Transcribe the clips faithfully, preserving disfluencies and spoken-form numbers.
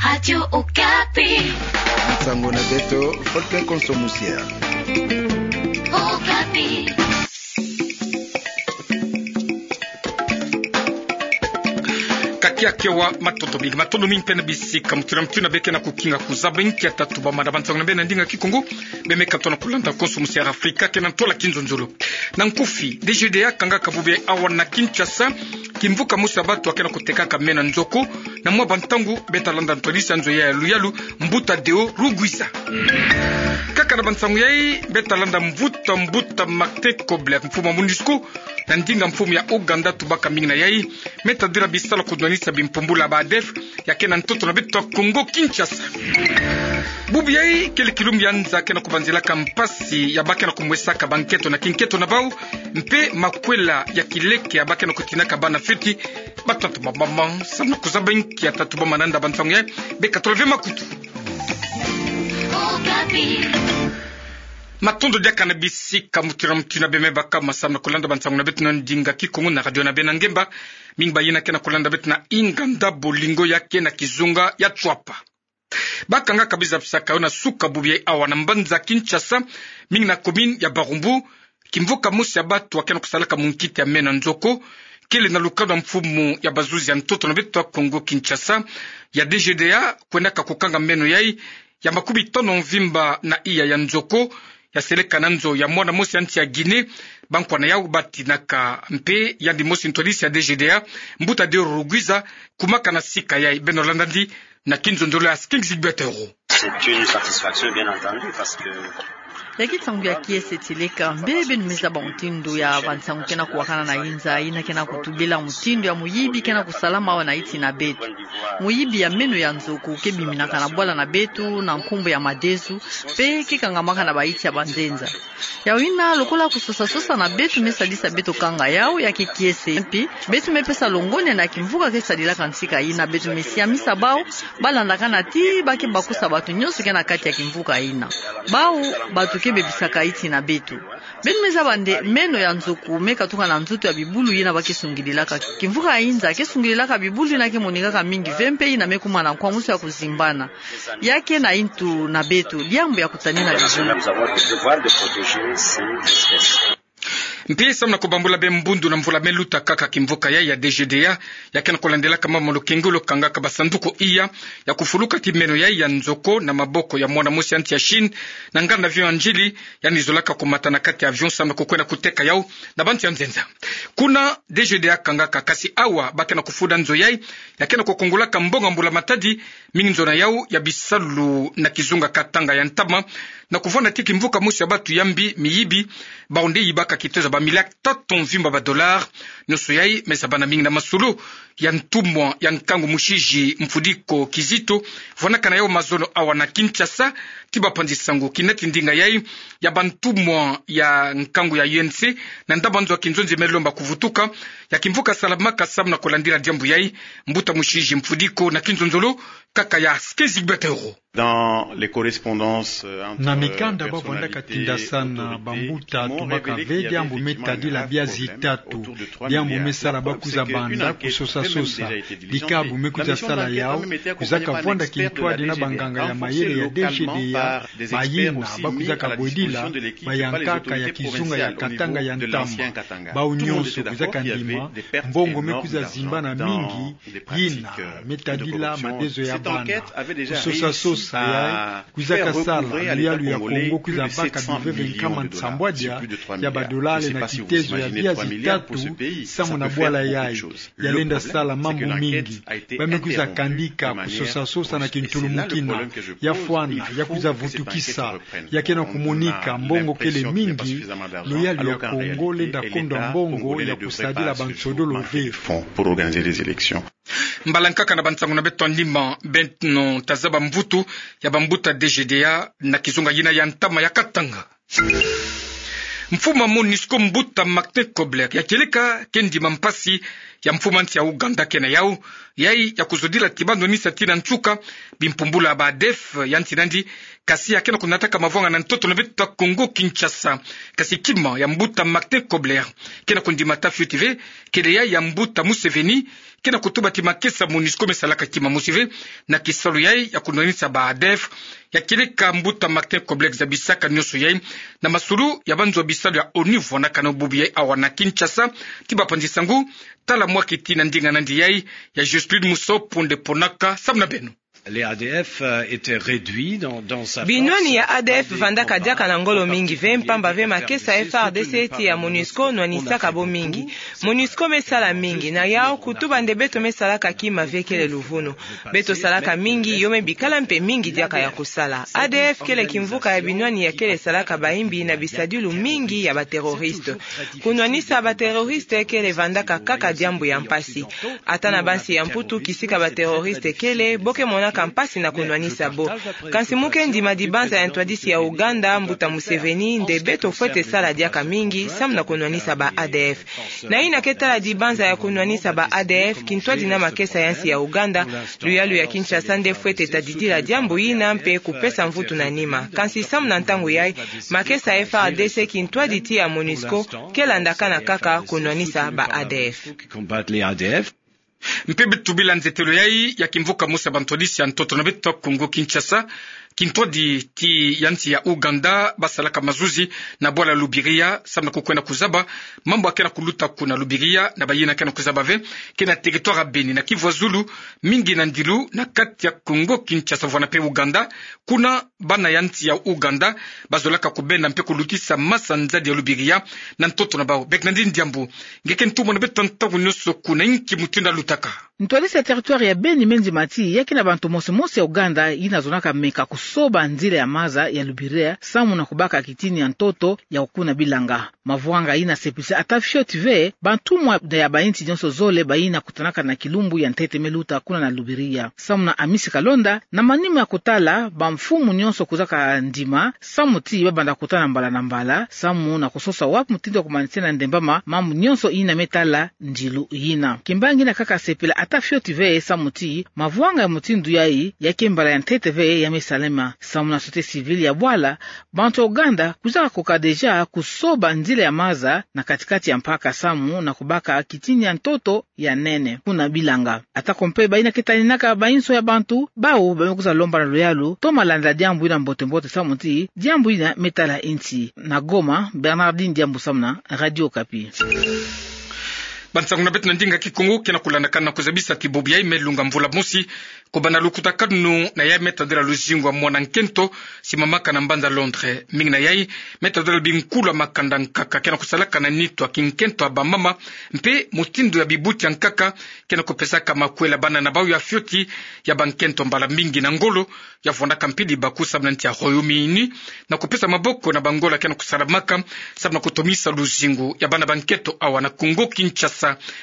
Radio Okapi. Nsangu na beto, Faustin Konso Musier. Okapi. Kakiaki awa, matondo mingi, matondo mingi mpe na bisika mutindu na mutindu beke na kukinga kuzaba nkia tatu bamana ba nsangu na beno na ndinga Kikongo. Bemeka tona kulanda Konso Musier Afrika kena ntwala kinzonzolo. Na nkufi, D G D A kangaka bubu ya awa na Kinshasa kimvuka mosi ya batu akena kutekaka meno ya nzo ko, na mwa bantangu beta landa ntwadisi ya nzo ya luyalu, Mbuta Deo Rugwiza. Kaka na bansangu yai beta landa mvuta mbuta Martin Kobler, mfumu ya MONUSCO, na ndinga mfumu ya Ouganda tubaka mingi na yai, me tadila bisalu ya kudwanisa bimpumbulu ya ba ADF, ya kena ntoto na beto ya Kongo Kinshasa. Bubu yai kele kilumbu ya nza kena kubanzilaka mpasi ya ba kena kumwesaka banketo na kinketo na bau, mpe makwela ya kileke ya ba kena kutinaka bana fioti. Batatu bamama, samu na kuzaba nkia tatu bamana nda ba nsangu yai, beka tola ve makutu. Matondo diaka na bisika mutindu na mutindu bemeka baka ma samu na kulanda ba nsangu na beto na ndinga Kikongo na radio na beno ya ngemba. Mingi bayina kena kulanda beto na inganda bolingo ya kena kizunga ya Tshuapa. Bakangaka biza bisaka yo na suka bubu yai awa na mbanza Kinshasa, mingi na commune ya Barumbu, kimvuka mosi ya batu akena kusalaka munkita ya meno ya nzo ko, kele na lukanu ya mfumu ya bazuzi ya ntoto na beto ya Kongo Kinshasa, ya D G D A, kwendaka kukanga meno yai ya makumi tano mvimba na iya ya nzo ko, ya seleka na nzo ya mwana mosi ya nsi ya Guinée, bankwa na yau batinaka. Mpe yandi mosi ntwadisi ya D G D A, Mbuta Deo Rugwiza, kumaka na sika yai. Beno landa yandi na kinzonzolo ya King Gilbert Euro. C'est une satisfaction, bien entendu, parce que Ya ki nsangu ya kiese tileka, mbele beno me zaba mutindu ya ba nsangu kena kuwakana na inza, yina kena kutubila mutindu ya muyibi kena kusalama awa na nsi na beto. Muyibi ya meno ya nzo ko ke biminaka na bwala na beto na nkumbu ya madesu, mpe ke kangamaka na ba nsi ya banzenza. Yau yina, lokola kusosa-sosa na beto me sadisa beto kanga yau, ya ke kiese. Mpe beto me pesa longonya na kimvuka ke sadilaka ntika yina, beto me siamisa bau, balandakana ti ba ke bakusa bato nyonso kena kati ya kimvuka yina. Bau, batu ke bebisaka nsi na beto. Beno me zaba nde meno ya nzo ko me katuka na nzoto ya bibulu yina ba ke sungidilaka. Kimvuka ya inza ke sungidilaka bibulu yina ke monikaka mingi ve, mpe yina me kuma na nkwamusu ya kuzimbana. Ya ke na ntu na beto, diambu ya kutanina bibulu. Mpe samu na kubambula be mbundu na mvula me luta kaka, kimvuka yai ya D G D A, ya kena kulandilaka mambu na lukengolo, kangaka ba sanduku iya ya kufuluka ti meno yai ya nzo ko na maboko ya mwana mosi ya nsi ya Chine, na nganda avion ya ndjili, yandi zolaka kumata na kati ya avion samu na kukwenda kuteka yau na bantu ya nzenza. Kuna D G D A kangaka, kasi awa ba kena kufunda nzo yai, ya kena kukongolaka mbongo ya mbula matadi, mingi nzona yau ya bisalu na kizunga Katanga ya ntama, na kuvwanda ti kimvuka mosi ya batu ya mbi, miyibi, bau nde yibaka kitezo ya ba milliards tatu mvimba ba dollars. Nyonso yai me zabana mingi na masolo ya ntumwa ya nkangu Mushizi Mfudiko Kizito, vwanakana yau mazono awa na Kinshasa, ti bapanzi sango kinati ndinga yai ya bantumwa ya nkangu ya U N C, na ndaba nzo ya kinzonzi me lomba kuvutuka, ya kimvuka salamaka samu na kulandila diambu yai, mbuta Mushizi Mfudiko na kinzonzolo kaka ya Sky Zigbetero. Dans les correspondances, euh, entre, euh, personnalités autour de pays, qui m'ont révélé qu'il y avait effectivement une rareté autour de trois milliards pour ce pays. Dans mes cannes, ba vwandaka tinda sana bambuta tumaka ve diambu me tadila bia zitatu, diambu me sala ba kwiza banda kusosa-sosa. Dikabu me kwiza sala yau, kwiza kavwanda kintwadi na banganga ya mayele ya D G D A, bayina ba kwiza kabwedila bayankaka ya kizunga ya Katanga ya ntama. Bau nyonso kwiza kandima, mbongo me kwiza zimbana mingi, yina me tadila madezo ya bana. Kusosa-sosa yai kwiza kasala luyalu ya Kongo kwiza baka biveve nkama nsambwadia ya badolari na kitezo ya bia zitatu samu na bwala yai. Ya lenda sala mambu mingi. Ba me kwiza kandika kusosa-sosa na kintulumukina, ya fwana, ya kwiza vutukisa, ya kena kumonika mbongo kele mingi, luyalu ya Kongo lenda kondwa mbongo ya kusadila bansodolo ve. Fonds pour organiser les élections. Mbala nkaka na bansangu na beto ya ndimba, beno tazaba mvutu ya bambuta D G D A na kizunga yina ya ntama ya Katanga. Mfumu ya MONUSCO, mbuta Martin Kobler, ya kieleka ke ndima mpasi ya mfumu ya nsi ya Ouganda kena yau, yai ya kuzodila ti ba ndonisa tii na nsuka bimpumbulu ya ba ADF ya nsi nandi, kasi ya kena kunataka mavwanga na ntoto na beto ya Kongo Kinshasa. Kasi kima ya mbuta Martin Kobler kena kundima ta fioti ve, kele yai ya mbuta Museveni, ke na kutuba ti makesa MONUSCO me salaka kima mosi ve na kisalu yai ya kunwanisa ba ADF, ya kieleka mbuta Martin Kobler Kizza Bisaka nyonso yai na masulu ya banzo bisalu ya ONU vwanaka na bubu yai awa na Kinshasa. Ti bapanzi sa ngu, tala mwa kiti na ndinga nandi yai ya Justine Musopo nde ponaka samu na beno. Les A D F, euh, étaient réduits dans, dans sa force. Binwani ya ADF vandaka diaka na ngolo mingi ve, mpamba ve makesa ya F A R D C ti ya MONUSCO nwanisaka bo mingi. MONUSCO me sala mingi, na yau kutuba nde beto me salaka kima ve kele luvunu. Beto salaka mingi, yo me bikala mpe mingi diaka ya kusala. ADF kele kimvuka ya binwani ya kele salaka bayimbi na bisadilu mingi ya ba terroristes. Kunwanisa ba terroristes kele vandaka kaka diambu ya mpasi. Ata na bansi ya Mputu kisika ba terroristes kele, bo ke monaka mpasi na kunwanisa bo. Kansi mu ke ndima dibanza ya ntwadisi ya Ouganda, mbuta Museveni, nde beto fwete sala diaka mingi samu na kunwanisa ba ADF. Na yina ke tala dibanza ya kunwanisa ba ADF, kintwadi na makesa ya nsi ya Ouganda, luyalu ya Kinshasa nde fwete tadidila diambu yina mpe kupesa mvutu na nima. Kansi samu na ntangu yai, makesa ya F A R D C kintwadi ti ya MONUSCO, ke landakana kaka kunwanisa ba ADF. Mpe beto bila nzetelo yai ya kimvuka mosi ya bantwadisi ya ntoto na beto Kongo-Kinshasa, kintwadi ti ya nsi ya Ouganda, basalaka mazuzi na bwala Lubiriha, samu na kukwenda kuzaba mambu ya ke na kuluta kuna Lubiriha, na bayina ke na kuzaba ve, ke na territoire ya Beni na Kivu ya Zulu, mingi na ndilu na kati ya Kongo-Kinshasa vwana mpe Ouganda, kuna bana ya nsi ya Ouganda bazolaka kubenda mpe kulutisa masa-nzadi ya Lubiriha na ntoto na bau. Bek Nandi Ndiambu, nge ke ntumwa na beto ntangu nyonso kuna, inki mutindu ya lutaka? Ntwadisi ya territoire ya Beni me ndima ti ya ke na bantu mosi mosi ya Ouganda yina zonaka meka kusoba nzila ya maza ya Lubiriha samu na kubaka kitini ya ntoto ya kukuna bilanga. Mavwanga yina sepisa ata fioti ve bantumwa ya bayinsi nyonso zole bayina kutanaka na kilumbu ya ntete me luta kuna na Lubiriha. Samu na Amisi Kalonda, na manima ya kutala bamfumu nyonso kuzaka ndima, samu ti babanda kutana mbala na mbala, samu na kusosa wapi mutindu ya kumanisena ndembama mambu nyonso yina me tala ndilu yina. Kimbangi yina kaka sepela ata fioti ve samu ti mavwanga ya mutindu yai ya ke mbala ya ntete ve ya me salama. Samu na société civile ya bwala, bantu ya Ouganda kuzaka koka déjà kusoba nzila ya maza na kati-kati ya mpaka samu na kubaka kitini ya ntoto ya nene kuna bilanga. Atako mpe bayina ke taninaka bayinso ya bantu, bau ba me kwiza lomba na luyalu toma landa diambu yina mbote-mbote samu ti diambu yina me tala yinsi. Na Goma, Bernardine Ndiambu samu na Radio Okapi. Bansangu na beto na ndinga Kikongo ke na kulandakana na kuzabisa ti bubu yai me lunga mvula mosi, kubanda lukutakanu na yai me tadila luzingu ya mwana nkento, simamaka na mbanza Londres. Mingi na yai me tadila binkulu ya makanda nkaka ke na kusalaka na nitu ya kinkento ya bamama, mpe mutindu ya bibuti ya nkaka ke na kupesaka makwela bana na bau ya fioti ya bankento mbala mingi na ngolo, ya vwandaka mpili baku samu na nsi ya Royaume-Uni, na kupesa maboko na bangolo ke na kusalamaka samu na kutomisa luzingu ya bana bankento awa na Kongo-Kinshasa.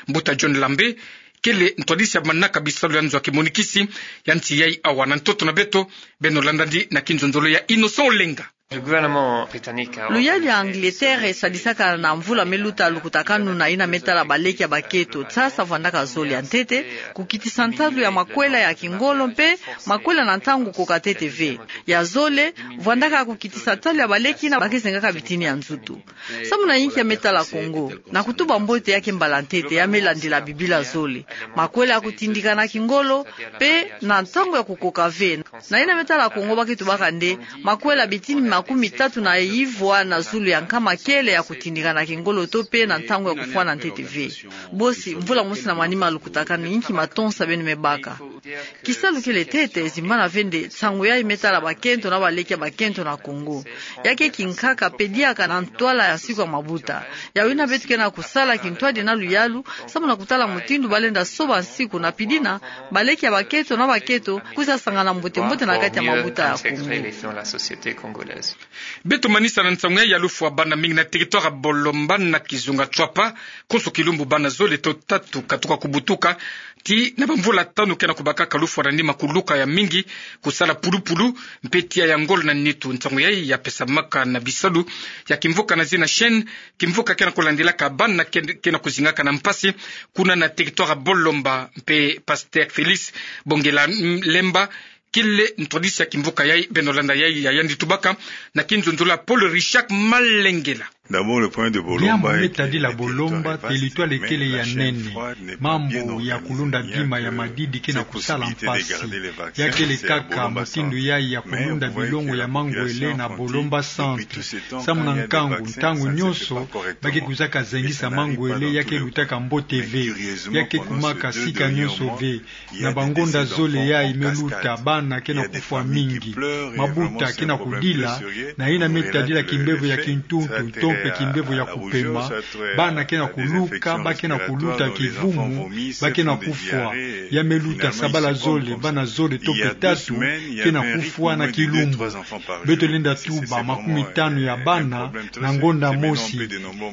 Mbuta John Lambe kele ntwadisi ya manaka bisalu ya nzo ya kimonikisi ya nsi yai awa na ntoto na beto, beno landandi na kinzonzolo ya Innocent Olenga. Le gouvernement britannique a Luyalu ya Angleterre esadisaka na mvula me luta lukutakanu na yina me tala baleki ya bakento. Sasa vwandaka zole ya ntete, kukitisa ntalu ya makwela ya kingolo mpe makwela na ntangu koka ntete ve. Ya zole, vwandaka kukitisa ntalu ya baleki yina ba ke zengaka bitini ya nzutu. Samu na yinki ya me tala Congo, na kutuba mbote ya ke mbala ntete ya me landila Bibila zole. Makwela ya kutindika na kingolo, mpe na ntangu ya kukoka ve. Na yina me tala Congo ba ke tubaka nde makwela bitini makumi tatu na ivwa na zulu ya nkama kele ya kutindika na kingolo to mpe na ntangu ya kufwana ntete ve. Bosi, mvula mosi na manima lukutakanu, inki matonsa beno me baka? Kisalu kele ntete, zimbana ve nde nsangu yai me tala bakento na baleki ya bakento na Congo. Ya ke kinkaka mpe diaka na ntwala ya nsiku ya mabuta. Yawu yina beto ke na kusala kintwadi na luyalu, samu na kutala mutindu ba lenda soba nsiku na mpe dina, baleki ya bakento na bakento kwiza sangana mbote-mbote na kati ya mabuta ya Congo. Beto manisa na nsangu yai ya lufwa bana mingi na territoire ya Bolomba na kizunga Tswapa, konso kilumbu bana zole to tatu katuka kubutuka, ti na bamvula tanu ke na kubakaka lufwa na nima kuluka ya mingi, kusala pulupulu, mpe tiya ya ngolo na nitu. Nsangu yai ya pesamaka na bisalu ya kimvuka na zina Chêne, kimvuka ke na kulandilaka bana ke, ke na kuzingaka na mpasi, kuna na territoire ya Bolomba, mpe Pasteur Félix Bongelemba kele ntwadisi ya kimvuka yai. Beno landa yai ya yandi tubaka na kinzonzolo ya Paul Richard Malengela. Diambu me tadila Bolomba, teritware kele ya nene. Mambu ya kulunda bima ya madidi ke na kusala mpasi. Ya kele kaka mutindu yayi ya kulunda bilongo ya mangwele na Bolomba Centre. Samu na nkangu, ntangu nyonso ba ke kwizaka zengisa mangwele, ya ke lutaka mbote ve. Ya ke kumaka sika nyonso ve. Na bangonda zole yayi me luta, bana ke na kufwa mingi. Mabuta ke na kudila, na yina me tadila kimbevo ya kintuntu, to mpe kimbevo ya kupema. Bana ke na kuluka, ba ke na kuluta kivumu, ba ke na kufwa. Ya me luta sabala zole, bana zole to mpe tatu ke na kufwa na kilumbu. Beto lenda tuba makumitanu ya bana na ngonda mosi.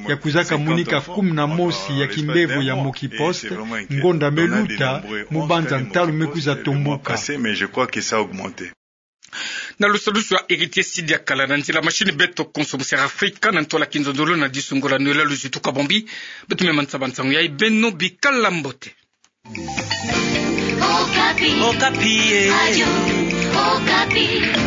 Ya kwizaka monika kumi na mosi ya kimbevo ya mokiposte, ngonda me luta, mu banza ntalu me kwiza tombuka. Na lusadusu ya Héritier Sidi Akala, na nzila mashini beto konso mu Sierra Africa, na ntola kinzonzolo na disungola nuyela luzitu kabombi. Beto me mansaba nsangu yayi, beno bikala mbote. Okapi. Okapi, eh. Radio Okapi.